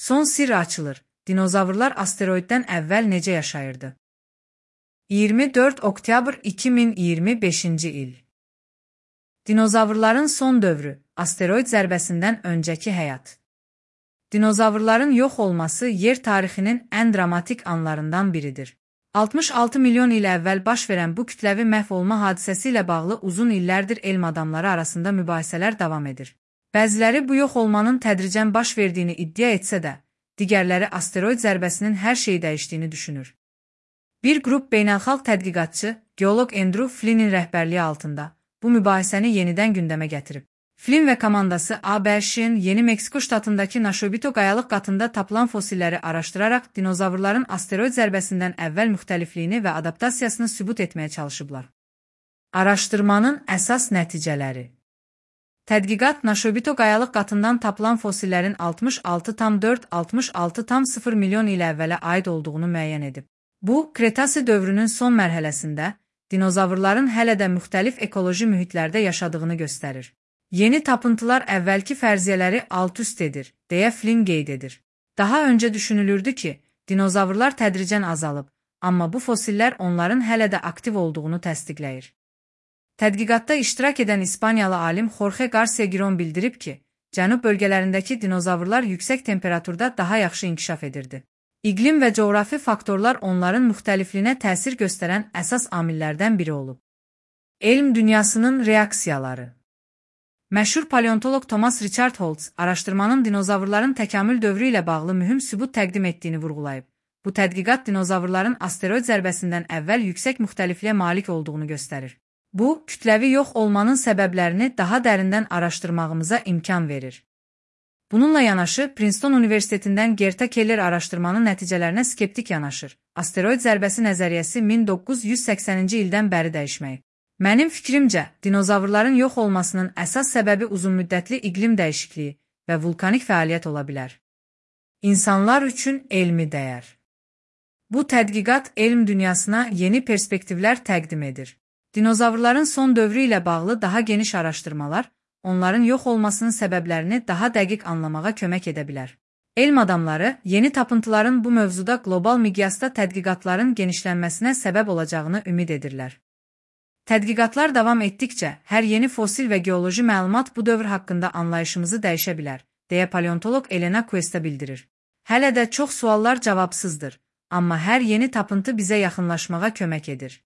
Son sirr açılır. Dinozavrlar asteroiddən əvvəl necə yaşayırdı? 24 oktyabr 2025-ci il. Dinozavrların son dövrü, asteroid zərbəsindən öncəki həyat. Dinozavrların yox olması yer tarixinin ən dramatik anlarından biridir. 66 milyon il əvvəl baş verən bu kütləvi məhv olma hadisəsi ilə bağlı uzun illərdir elm adamları arasında mübahisələr davam edir. Bəziləri bu yox olmanın tədricən baş verdiyini iddia etsə də, digərləri asteroid zərbəsinin hər şeyi dəyişdiyini düşünür. Bir qrup beynəlxalq tədqiqatçı, geoloq Andrew Flynn'in rəhbərliyi altında bu mübahisəni yenidən gündəmə gətirib. Flynn və komandası ABŞ-ın Yeni Meksiko ştatındakı Naşobito qayalıq qatında tapılan fosilləri araşdıraraq dinozavrların asteroid zərbəsindən əvvəl müxtəlifliyini və adaptasiyasını sübut etməyə çalışıblar. Araşdırmanın əsas nəticələri. Tədqiqat Naşobito qayalıq qatından tapılan fosillərin 66,4-66,0 milyon il əvvələ aid olduğunu müəyyən edib. Bu, Kretasi dövrünün son mərhələsində dinozavrların hələ də müxtəlif ekoloji mühitlərdə yaşadığını göstərir. Yeni tapıntılar əvvəlki fərziyyələri alt-üst edir, deyə Flynn qeyd edir. Daha öncə düşünülürdü ki, dinozavrlar tədricən azalıb, amma bu fosillər onların hələ də aktiv olduğunu təsdiqləyir. Tədqiqatda iştirak edən İspaniyalı alim Jorge Garcia Giron bildirib ki, cənub bölgələrindəki dinozavrlar yüksək temperaturda daha yaxşı inkişaf edirdi. İqlim və coğrafi faktorlar onların müxtəlifliyinə təsir göstərən əsas amillərdən biri olub. Elm dünyasının reaksiyaları. Məşhur paleontoloq Thomas Richard Holtz araşdırmanın dinozavrların təkamül dövrü ilə bağlı mühüm sübut təqdim etdiyini vurğulayıb. Bu tədqiqat dinozavrların asteroid zərbəsindən əvvəl yüksək müxtəlifliyə malik olduğunu göstərir. Bu, kütləvi yox olmanın səbəblərini daha dərindən araşdırmağımıza imkan verir. Bununla yanaşı, Princeton Universitetindən Gerta Keller araşdırmanın nəticələrinə skeptik yanaşır. Asteroid zərbəsi nəzəriyyəsi 1980-ci ildən bəri dəyişməyib. Mənim fikrimcə, dinozavrların yox olmasının əsas səbəbi uzunmüddətli iqlim dəyişikliyi və vulkanik fəaliyyət ola bilər. İnsanlar üçün elmi dəyər. Bu tədqiqat elm dünyasına yeni perspektivlər təqdim edir. Dinozavrların son dövrü ilə bağlı daha geniş araşdırmalar, onların yox olmasının səbəblərini daha dəqiq anlamağa kömək edə bilər. Elm adamları yeni tapıntıların bu mövzuda qlobal miqyasda tədqiqatların genişlənməsinə səbəb olacağını ümid edirlər. Tədqiqatlar davam etdikcə, hər yeni fosil və geoloji məlumat bu dövr haqqında anlayışımızı dəyişə bilər, deyə paleontoloq Elena Cuesta bildirir. Hələ də çox suallar cavabsızdır, amma hər yeni tapıntı bizə yaxınlaşmağa kömək edir.